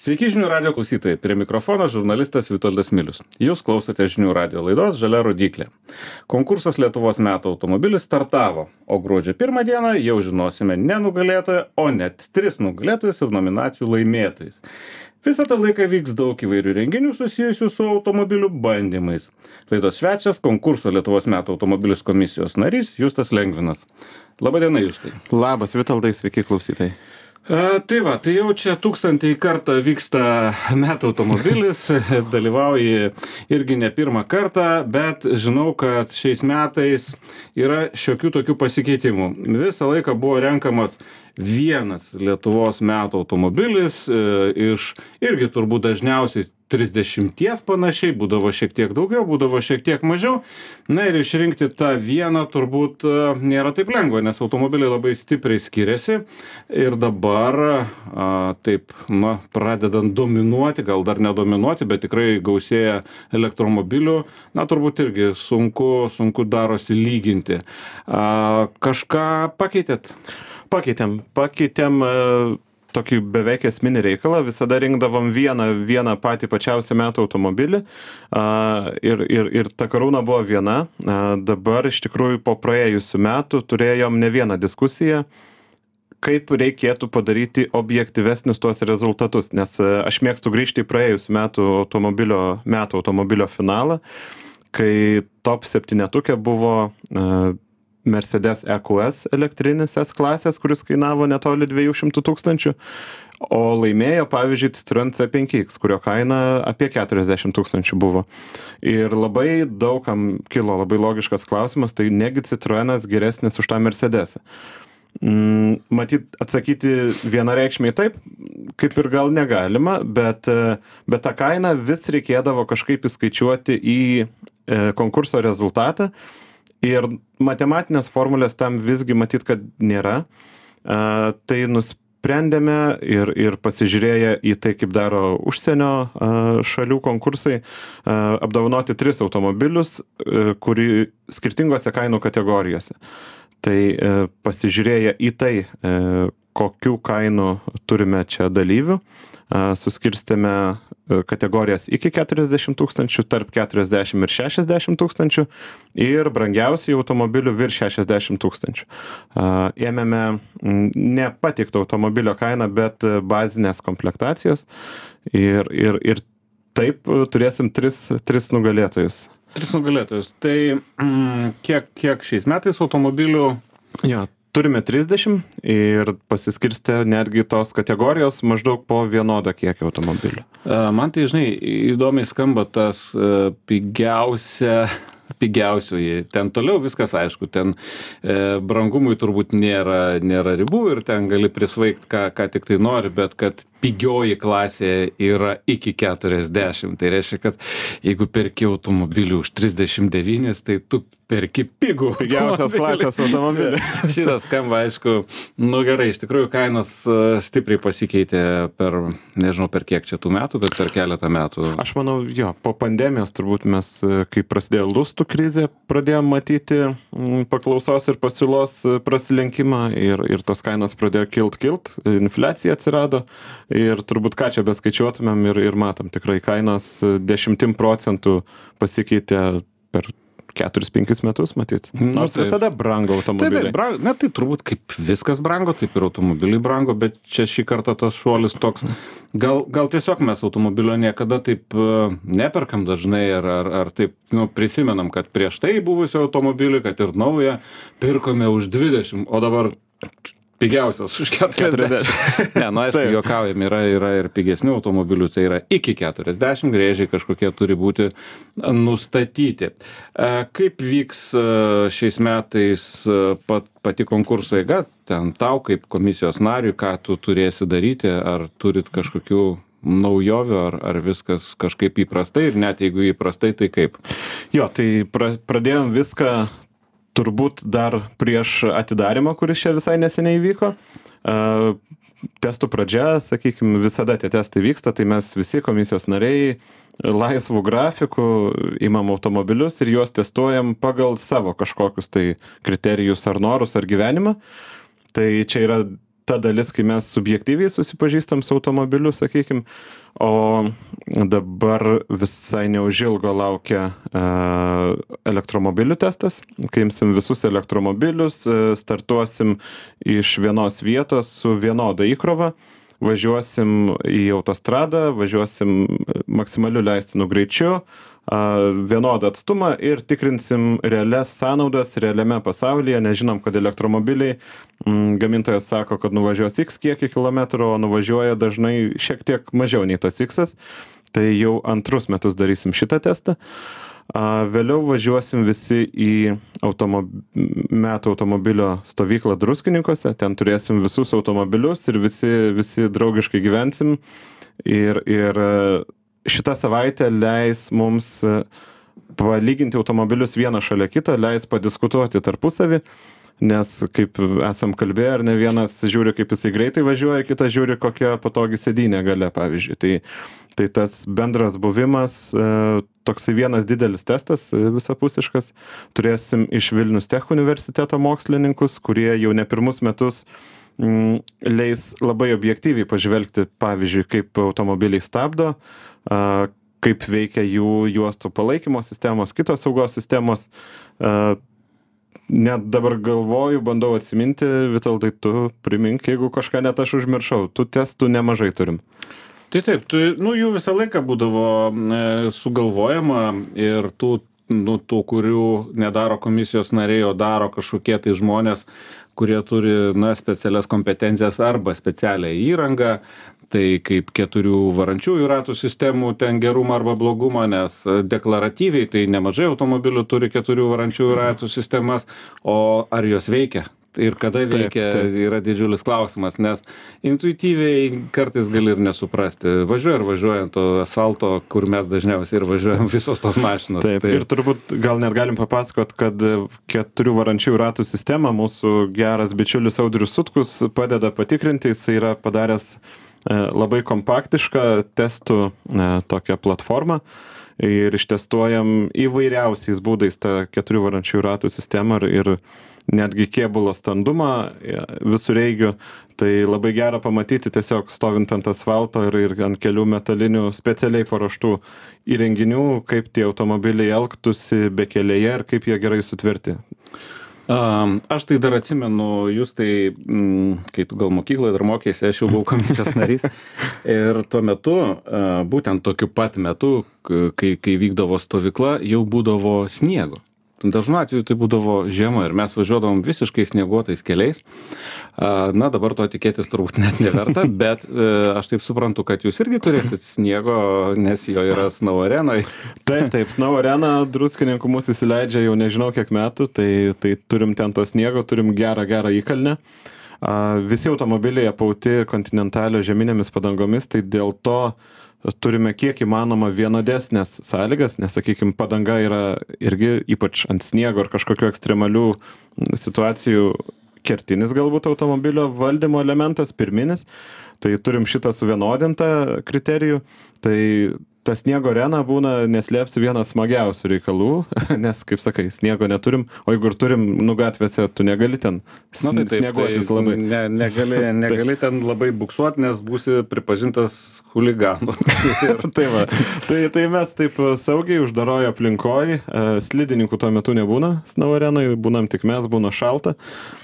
Sveiki žinių radio klausytojai, prie mikrofono žurnalistas Vitoldas Milius. Jūs klausote žinių radio laidos Žalia rodyklė. Konkursas Lietuvos metų automobilis startavo, o gruodžio 1 dieną jau žinosime ne nugalėtoją, o net 3 nugalėtojus ir nominacijų laimėtojus. Visą tą laiką vyks daug įvairių renginių susijusių su automobilių bandymais. Laidos svečias konkurso Lietuvos metų automobilis komisijos narys Justas Lengvinas. Labadiena, Justai. Labas, Vitoldai, sveiki klausytojai. Tai jau čia 1000 kartą vyksta metų automobilis, dalyvauji irgi ne pirmą kartą, bet žinau, kad šiais metais yra šiokių tokių pasikeitimų. Visą laiką buvo renkamas vienas Lietuvos metų automobilis iš irgi turbūt dažniausiai 30 panašiai, būdavo šiek tiek daugiau, būdavo šiek tiek mažiau. Na ir išrinkti tą vieną turbūt nėra taip lengva, nes automobiliai labai stipriai skiriasi ir dabar pradedant dominuoti, gal dar nedominuoti, bet tikrai gausėja elektromobilių, turbūt irgi sunku darosi lyginti. Kažką pakeitėt? Pakeitėm tokį beveik esminį reikalą, visada rinkdavom vieną patį pačiausią metų automobilį ir ta karūna buvo viena. Dabar iš tikrųjų po praėjusių metų turėjom ne vieną diskusiją, kaip reikėtų padaryti objektyvesnius tuos rezultatus, nes aš mėgstu grįžti į praėjusių metų automobilio finalą, kai top 7 buvo Mercedes EQS elektrinis S klasės, kuris kainavo netoli 200 000, o laimėjo, pavyzdžiui, Citroen C5X, kurio kaina apie 40 000 buvo. Ir labai daugam kilo labai logiškas klausimas, tai negi Citroenas geresnis už tą Mercedesą. Matyt, atsakyti vienareikšmiai taip, kaip ir gal negalima, bet tą kainą vis reikėdavo kažkaip įskaičiuoti į konkurso rezultatą. Ir matematinės formulės tam visgi matyt, kad nėra. Tai nusprendėme ir pasižiūrėję į tai, kaip daro užsienio šalių konkursai, apdovanoti 3 automobilius, kuri skirtingose kainų kategorijose. Tai pasižiūrėję į tai, kokių kainų turime čia dalyvių, suskirstėme kategorijas iki 40 000, tarp 40 ir 60 000 ir brangiausių automobilių virš 60 000. Ėmėme ne patiktą automobilio kainą, bet bazinės komplektacijos ir taip turėsim 3 nugalėtojus. 3 nugalėtojus. Tai kiek šiais metais automobilių? Jo, turime 30 ir pasiskirstę netgi tos kategorijos maždaug po vienodą kiekį automobilių. Man tai, žinai, įdomiai skamba tas pigiausioji. Ten toliau viskas aišku, ten brangumui turbūt nėra ribų ir ten gali prisvaigti, ką tik tai nori, bet kad pigioji klasė yra iki 40. Tai reiškia, kad jeigu perki automobilį už 39, tai tu perki pigiausios klasės automobilį. Šitas skamba, aišku, gerai, iš tikrųjų kainos stipriai pasikeitė per kiek čia tų metų, bet per keletą metų. Aš manau, po pandemijos turbūt mes, kai prasidėjo lustų krizė, pradėjom matyti paklausos ir pasiūlos prasilenkimą ir tos kainos pradėjo kilt, infliacija atsirado ir turbūt ką čia beskaičiuotumėm ir matom, tikrai kainos 10% pasikeitė per 4-5 metus, matyt. Nors visada brango automobiliai. Tai turbūt kaip viskas brango, taip ir automobiliai brango, bet čia šį kartą tas šuolis toks. Gal tiesiog mes automobilio niekada taip neperkam dažnai, ar taip prisimenam, kad prieš tai buvusio automobilį, kad ir naują, pirkome už 20, o dabar pigiausias už 40. Ne, aišku, juokaujam, yra ir pigesnių automobilių, tai yra iki 40, grėžiai kažkokie turi būti nustatyti. Kaip vyks šiais metais pati konkurso eiga, ten tau kaip komisijos nariui, ką tu turėsi daryti, ar turit kažkokių naujovių, ar viskas kažkaip įprastai ir net jeigu įprastai, tai kaip? Tai pradėjom viską turbūt dar prieš atidarimą, kuris čia visai neseniai vyko. Testų pradžia, sakykime, visada tie testai vyksta, tai mes visi komisijos nariai laisvų grafikų imam automobilius ir juos testuojam pagal savo kažkokius tai kriterijus ar norus ar gyvenimą. Tai čia yra ta dalis, kai mes subjektyviai susipažįstam su automobiliu, sakykim, o dabar visai neužilgo laukia elektromobilių testas, kai imsim visus elektromobilius, startuosim iš vienos vietos su vienoda įkrova, važiuosim į autostradą, važiuosim maksimaliu leistinu greičiu, vienodą atstumą ir tikrinsim realias sąnaudas realiame pasaulyje, nežinom, kad elektromobiliai, gamintojas sako, kad nuvažiuos X kiekį kilometrų, o nuvažiuoja dažnai šiek tiek mažiau nei tas X, tai jau antrus metus darysim šitą testą. Vėliau važiuosim visi į metų automobilio stovyklą Druskininkuose, ten turėsim visus automobilius ir visi draugiškai gyvensim ir šitą savaitę leis mums palyginti automobilius vieną šalia kito, leis padiskutuoti tarpusavį, nes kaip esam kalbėję, ar ne vienas žiūri, kaip jisai greitai važiuoja, kitas žiūri, kokia patogi sėdynė gale, pavyzdžiui. Tai tas bendras buvimas, toksai vienas didelis testas, visapusiškas, turėsim iš Vilnius Tech universiteto mokslininkus, kurie jau ne pirmus metus leis labai objektyviai pažvelgti, pavyzdžiui, kaip automobiliai stabdo, kaip veikia jų juostų palaikymo sistemos, kitos saugos sistemos. Net dabar galvoju, bandau atsiminti, Vitoldai, tu primink, jeigu kažką net aš užmiršau, tų testų nemažai turim. Tai taip, jų visą laiką būdavo sugalvojama ir tų, kurių nedaro komisijos nariai, o daro kažkokie tai žmonės, kurie turi specialias kompetencijas arba specialią įrangą, tai kaip 4 varančiųjų ratų sistemų ten gerumą arba blogumą, nes deklaratyviai tai nemažai automobilių turi 4 varančiųjų ratų sistemas, o ar jos veikia? Ir kada veikia, yra didžiulis klausimas, nes intuityviai kartais gali ir nesuprasti. Važiuoja ant to asfalto, kur mes dažniausiai ir važiuojam visos tos mašinos. Taip. Ir turbūt gal net galim papasakot, kad 4 varančiųjų ratų sistemą mūsų geras bičiulis Audrius Sutkus padeda patikrinti, jis yra padaręs labai kompaktišką testų tokią platformą ir ištestuojam įvairiausiais būdais tą 4 varančiųjų ratų sistemą ir netgi kėbulo standumą visureigių. Tai labai gera pamatyti tiesiog stovint ant asfalto ir ant kelių metalinių specialiai paruoštų įrenginių, kaip tie automobiliai elgtųsi bekelėje ir kaip jie gerai sutverti. Aš tai dar atsimenu, jūs tai, kai tu gal mokykloje dar mokėsi, aš jau buvau komisijos narys. Ir tuo metu, būtent tokiu pat metu, kai vykdavo stovykla, jau būdavo sniego. Dažnu atveju tai būdavo žiema ir mes važiuodavom visiškai snieguotais keliais. Dabar to tikėtis turbūt net neverta, bet aš taip suprantu, kad jūs irgi turėsit sniego, nes jo yra Snow Arenoj. Taip, Snow Arena Druskininkų mūsų įsileidžia jau nežinau kiek metų, tai turim ten to sniego, turim gerą įkalnę. Visi automobiliai apauti Continentalio žieminėmis padangomis, tai dėl to turime kiek įmanoma vienodesnės sąlygas, nes, sakykime, padanga yra irgi ypač ant sniego ar kažkokių ekstremalių situacijų kertinis galbūt automobilio valdymo elementas, pirminis. Tai turim šitą suvienodintą kriterijų. Tai ta sniego arena būna, neslėpsiu, vienas smagiausių reikalų, nes, kaip sakai, sniego neturim, o jeigu ir turim, gatvėse, tu negali ten snieguotis labai. Negali ten labai buksuoti, nes būsi pripažintas chuliganu. Tai mes taip saugiai uždaroje aplinkoje, slidininkų tuo metu nebūna Snow Arenoj, būnam tik mes, būna šalta,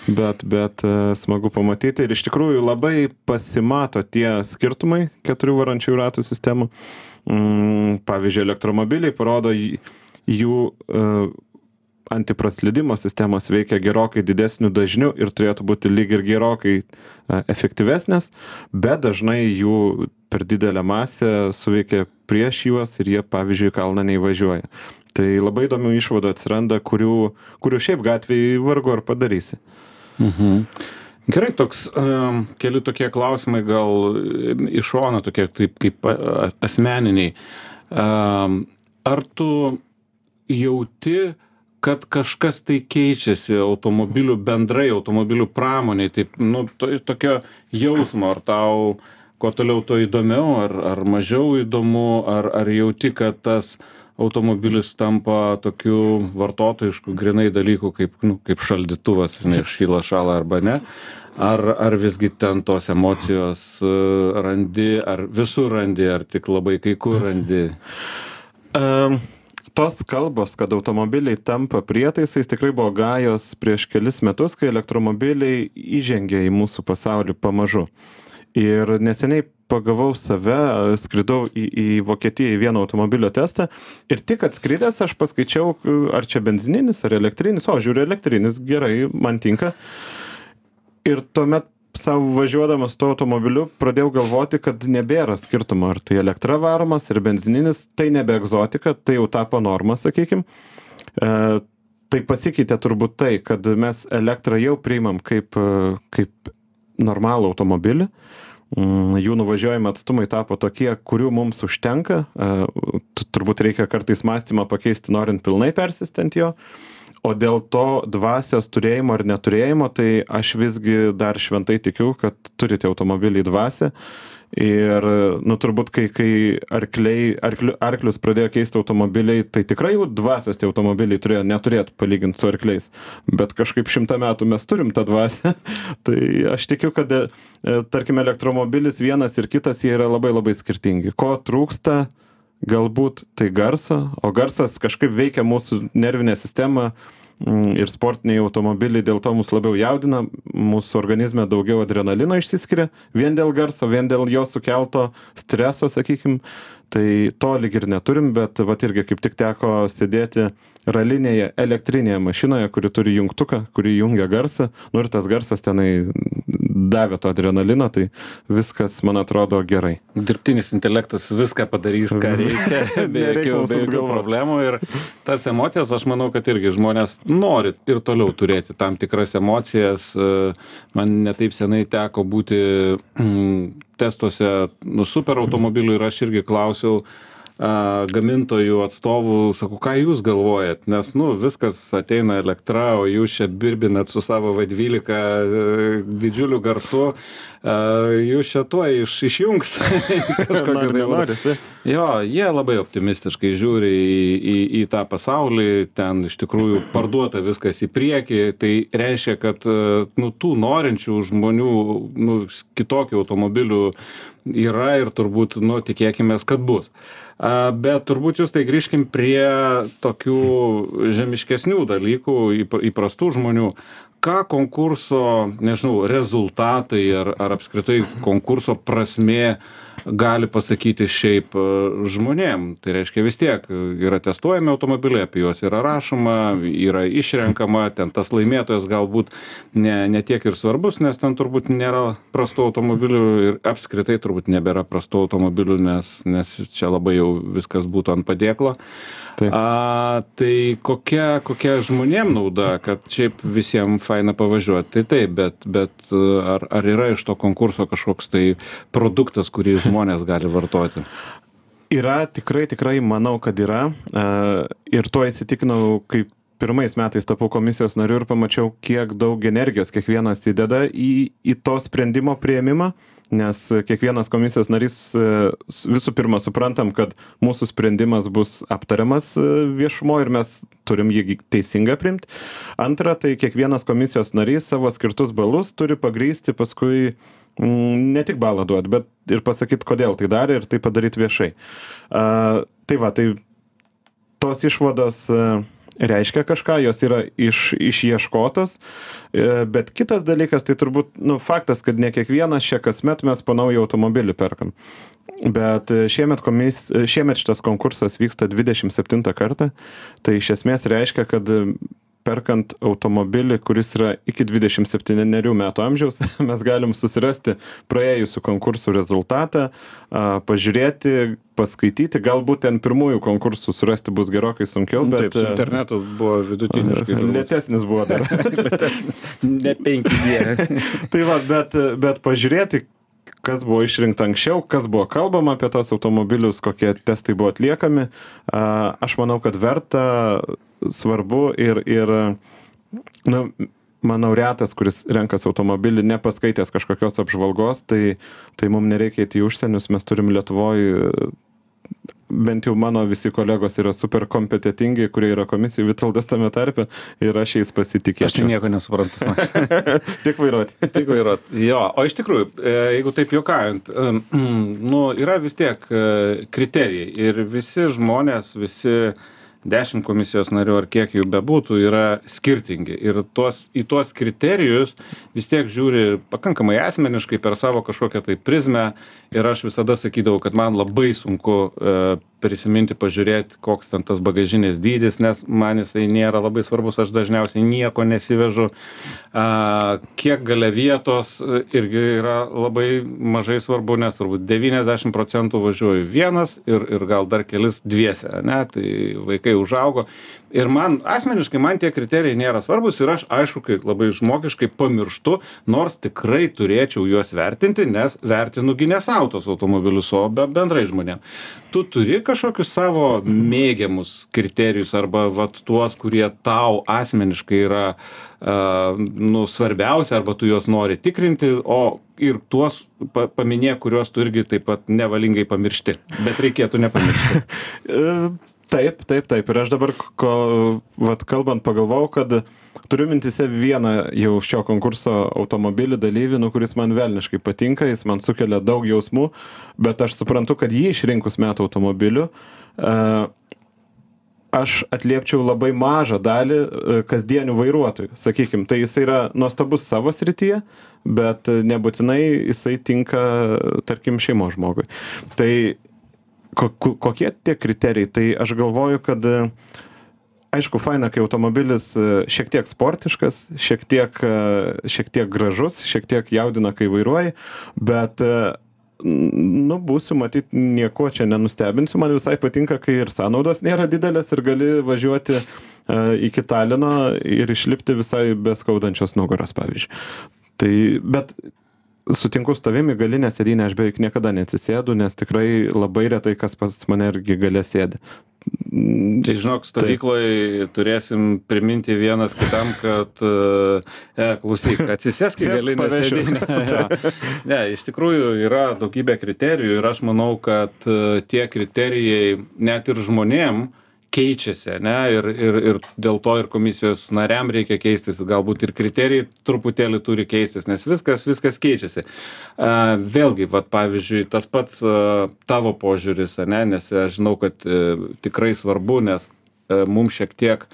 bet smagu pamatyti ir iš tikrųjų labai pasimato tie skirtumai 4 varančiųjų ratų sistemų. Pavyzdžiui, elektromobiliai parodo jų antipraslydimo sistemos veikia gerokai didesniu dažniu ir turėtų būti lyg ir gerokai efektyvesnės, bet dažnai jų per didelę masę suveikia prieš juos ir jie, pavyzdžiui, kalną neįvažiuoja. Tai labai įdomių išvadų atsiranda, kurių šiaip gatvėje vargu ar padarysi. Gerai, keli tokie klausimai gal iš šono, tokie kaip asmeniniai. Ar tu jauti, kad kažkas tai keičiasi bendrai automobilių pramoniai, taip, tokio jausmo, ar tau kuo toliau to įdomiau, ar mažiau įdomu, ar jauti, kad tas automobilis tampa tokiu vartotojišku grinai dalyku, kaip šaldytuvas, šyla arba ne. ar visgi ten tos emocijos randi, ar visur randi, ar tik labai kai kur randi? Tos kalbos, kad automobiliai tampa prietaisais, tikrai buvo gajos prieš kelis metus, kai elektromobiliai įžengė į mūsų pasaulį pamažu. Ir neseniai pagavau save, skridau į Vokietiją į vieną automobilio testą ir tik atskridęs aš paskaičiau, ar čia benzininis, ar elektrinis, o žiūriu elektrinis, gerai, man tinka. Ir tuomet savo važiuodamas tuo automobiliu pradėjau galvoti, kad nebėra skirtumo, ar tai elektra varomas, ar benzininis, tai nebe egzotika, tai jau tapo norma, sakykim. Tai pasikeitė turbūt tai, kad mes elektrą jau priimam kaip normalų automobilį. Jų nuvažiuojami atstumai tapo tokie, kurių mums užtenka. Turbūt reikia kartais mąstymą pakeisti, norint pilnai persistent jo. O dėl to dvasios turėjimo ar neturėjimo, tai aš visgi dar šventai tikiu, kad turite automobilį dvasią. Ir, turbūt, kai arklius pradėjo keisti automobiliai, tai tikrai jau dvasios tie automobiliai neturėtų palyginti su arkliais. Bet kažkaip 100 metų mes turim tą dvasią. Tai aš tikiu, kad, tarkim, elektromobilis vienas ir kitas, jie yra labai labai skirtingi. Ko trūksta? Galbūt tai garso, o garsas kažkaip veikia mūsų nervinę sistemą ir sportiniai automobiliai dėl to mus labiau jaudina, mūsų organizme daugiau adrenalino išsiskiria, vien dėl garso, vien dėl jo sukelto streso, sakykim, tai to lyg ir neturim, bet vat irgi kaip tik teko sėdėti ralinėje elektrinėje mašinoje, kuri turi jungtuką, kuri jungia garsą, ir tas garsas tenai davė to adrenalino, tai viskas, man atrodo, gerai. Dirbtinis intelektas viską padarys, ką reikia, be jokių problemų. Ir tas emocijas, aš manau, kad irgi žmonės nori ir toliau turėti tam tikras emocijas. Man netaip senai teko būti testuose super automobilių ir aš irgi klausiau gamintojų atstovų, sakau, ką jūs galvojat, nes, viskas ateina elektra, o jūs čia birbinat su savo V12 didžiuliu garsu, jūs čia tuoj išjungs. Jo, jie labai optimistiškai žiūri į tą pasaulį, ten iš tikrųjų parduota viskas į priekį, tai reiškia, kad tų norinčių žmonių, kitokių automobilių yra ir turbūt, tikėkimės, kad bus. Bet turbūt jūs tai grįžkim prie tokių žemiškesnių dalykų, įprastų žmonių. Ką konkurso, nežinau, rezultatai ar apskritai konkurso prasmė gali pasakyti šiaip žmonėm? Tai reiškia vis tiek yra testuojami automobiliai, apie juos yra rašoma, yra išrenkama, ten tas laimėtojas galbūt ne tiek ir svarbus, nes ten turbūt nėra prastų automobilių ir apskritai turbūt nebėra prastų automobilių, nes čia labai jau viskas būtų ant padėklo. Tai kokia žmonėm nauda, kad šiaip visiems faina pavažiuoti, tai taip, bet ar yra iš to konkurso kažkoks tai produktas, kurį žmonės gali vartoti? Yra, tikrai manau, kad yra. Ir tuo įsitikinau, kaip pirmais metais tapau komisijos nariu ir pamačiau, kiek daug energijos kiekvienas įdeda į to sprendimo priėmimą. Nes kiekvienas komisijos narys visų pirma suprantam, kad mūsų sprendimas bus aptariamas viešumo ir mes turim jį teisingai priimti. Antra, tai kiekvienas komisijos narys savo skirtus balus turi pagrįsti paskui ne tik balą duoti, bet ir pasakyti, kodėl tai darė ir tai padaryti viešai. Tai tos išvados reiškia kažką, jos yra išieškotos, bet kitas dalykas, tai turbūt faktas, kad ne kiekvienas čia kasmet mes po naują automobilį perkam. Bet šiemet šitas konkursas vyksta 27 kartą, tai iš esmės reiškia, kad perkant automobilį, kuris yra iki 27 metų amžiaus, mes galim susirasti praėjusių konkursų rezultatą, pažiūrėti, paskaityti, galbūt ten pirmųjų konkursų surasti bus gerokai sunkiau, bet... Taip, su internetu buvo vidutiniškai. Lėtesnis buvo dar. Ne 5G. Tai bet pažiūrėti, kas buvo išrinkta anksčiau, kas buvo kalbama apie tos automobilius, kokie testai buvo atliekami. Aš manau, kad verta, svarbu ir manau, retas, kuris renkas automobilį, nepaskaitęs kažkokios apžvalgos, tai mums nereikia į užsienius, mes turim Lietuvoje bent jau mano visi kolegos yra super kompetentingi, kurie yra komisijų, Vitoldas tame tarpe, ir aš jais pasitikėčiau. Aš nieko nesuprantu. Tik vairuoti. Tik vairuoti. Jo, o iš tikrųjų, jeigu taip juokaujant, nu, yra vis tiek kriterijai ir visi žmonės, visi 10 komisijos narių ar kiek jų bebūtų yra skirtingi ir į tuos kriterijus vis tiek žiūri pakankamai asmeniškai per savo kažkokią tai prizmę ir aš visada sakydavau, kad man labai sunku prisiminti, pažiūrėti, koks ten tas bagažinės dydis, nes man jisai nėra labai svarbus, aš dažniausiai nieko nesivežu, kiek gale vietos irgi yra labai mažai svarbu, nes turbūt 90% važiuoju vienas ir gal dar kelis dviese, ne, tai vaikai užaugo. Ir man, asmeniškai, man tie kriterijai nėra svarbus ir aš, aišku, kai labai žmogiškai pamirštu, nors tikrai turėčiau juos vertinti, nes vertinu gi ne savo tos automobilius, o bendrai žmonėm. Tu turi kažkokius savo mėgiamus kriterijus arba vat tuos, kurie tau asmeniškai yra nu, svarbiausia, arba tu juos nori tikrinti, o ir tuos paminėk, kuriuos tu irgi taip pat nevalingai pamiršti, bet reikėtų nepamiršti. Taip. Ir aš dabar, kalbant, pagalvojau, kad turiu mintise vieną jau šio konkurso automobilį dalyvį, kuris man velniškai patinka, jis man sukelia daug jausmų, bet aš suprantu, kad jį išrinkus metų automobiliu, aš atliepčiau labai mažą dalį kasdienių vairuotojų. Sakykime, tai jis yra nuostabus savo srityje, bet nebūtinai jisai tinka, tarkim, šeimos žmogui. Tai kokie tie kriterijai? Tai aš galvoju, kad aišku, faina, kai automobilis šiek tiek sportiškas, šiek tiek gražus, šiek tiek jaudina, kai vairuoji, bet nu, būsiu matyti, nieko čia nenustebinsiu. Man visai patinka, kai ir sąnaudos nėra didelės ir gali važiuoti iki Talino ir išlipti visai be skaudančios nugaros, pavyzdžiui. Tai, bet sutinku su tavimi, galinę sėdynę aš beveik niekada neatsisėdu, nes tikrai labai retai kas pas mane irgi gale sėdi. Tai žinok, stovykloje turėsim priminti vienas kitam, kad klausyk, atsisėsk į galinę sėdynę. Ne, iš tikrųjų yra daugybė kriterijų ir aš manau, kad tie kriterijai net ir žmonėm keičiasi, ne, ir dėl to ir komisijos nariam reikia keistis, galbūt ir kriterijai truputėlį turi keistis, nes viskas keičiasi. Vėlgi, vat, pavyzdžiui, tas pats tavo požiūris, ne, nes aš žinau, kad tikrai svarbu, nes mums šiek tiek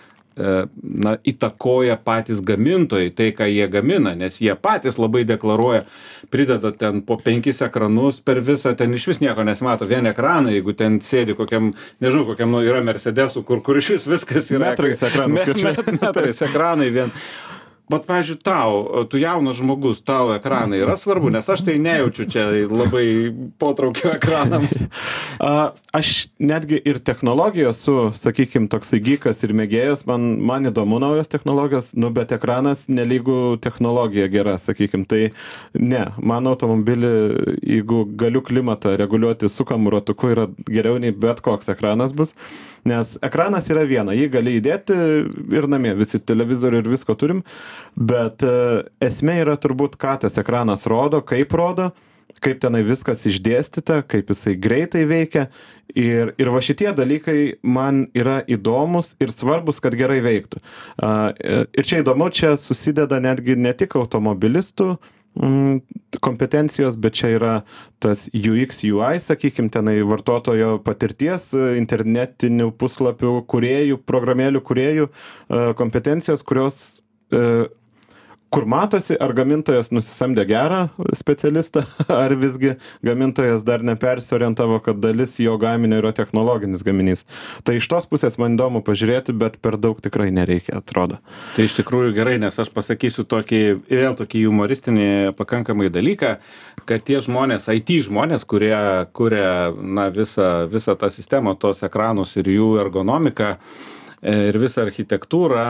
įtakoja patys gamintojai tai, ką jie gamina, nes jie patys labai deklaruoja, prideda ten po 5 ekranus per visą, ten iš vis nieko nesimato, vien ekraną, jeigu ten sėdi kokiam, nežinau, kokiam yra Mercedesų, kur iš vis viskas yra. Metrais ekranus. Metrais ekranai vien. Bet, pavyzdžiui, tu jaunas žmogus, tau ekranai yra svarbu, nes aš tai nejaučiu čia labai potraukio ekranams. Aš netgi ir technologijos sakykim, toksai gykas ir mėgėjas, man įdomu naujos technologijos, bet ekranas nelygų technologija gera, sakykim. Tai ne, mano automobilį, jeigu galiu klimatą reguliuoti sukamu ratuku, yra geriau nei bet koks ekranas bus. Nes ekranas yra viena, jį gali įdėti ir namie, visi televizorių ir visko turim, bet esmė yra turbūt, ką tas ekranas rodo, kaip tenai viskas išdėstyta, kaip jisai greitai veikia ir va šitie dalykai man yra įdomus ir svarbus, kad gerai veiktų. Ir čia įdomu, čia susideda netgi ne tik automobilistų kompetencijos, bet čia yra tas UX, UI, sakykim, tenai vartotojo patirties, internetinių puslapių kūrėjų, programėlių kūrėjų kompetencijos, kurios kur matosi, ar gamintojas nusisamdė gerą specialistą, ar visgi gamintojas dar nepersiorientavo, kad dalis jo gaminio yra technologinis gaminys. Tai iš tos pusės man įdomu pažiūrėti, bet per daug tikrai nereikia, atrodo. Tai iš tikrųjų gerai, nes aš pasakysiu vėl tokį humoristinį pakankamai dalyką, kad tie žmonės, IT žmonės, kurie kuria visą tą sistemą, tos ekranus ir jų ergonomiką, ir visą architektūrą,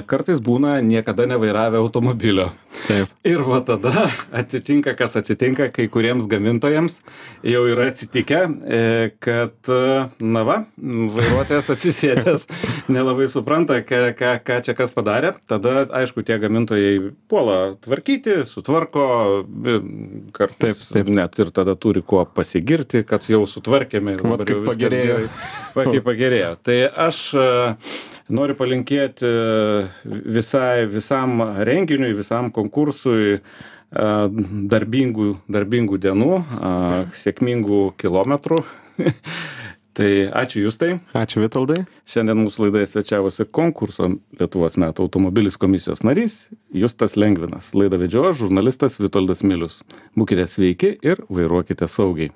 kartais būna niekada nevairavę automobilio. Taip. Ir va tada atsitinka, kas atsitinka, kai kuriems gamintojams jau yra atsitikę, kad, na va, vairuotojas atsisėdęs nelabai supranta, ką čia kas padarė. Tada, aišku, tie gamintojai puola tvarkyti, sutvarko, kartais Taip. net ir tada turi kuo pasigirti, kad jau sutvarkėme. Vat kaip pagerėjo. Kaip pagerėjo. Tai aš noriu palinkėti visam renginiui, visam konkursui darbingų dienų, sėkmingų kilometrų. Tai ačiū Justai. Ačiū Vitoldai. Šiandien mūsų laidoje svečiavosi konkurso Lietuvos metų automobilis komisijos narys Justas Lengvinas. Laidą vedžiojo žurnalistas Vitoldas Milius. Būkite sveiki ir vairuokite saugiai.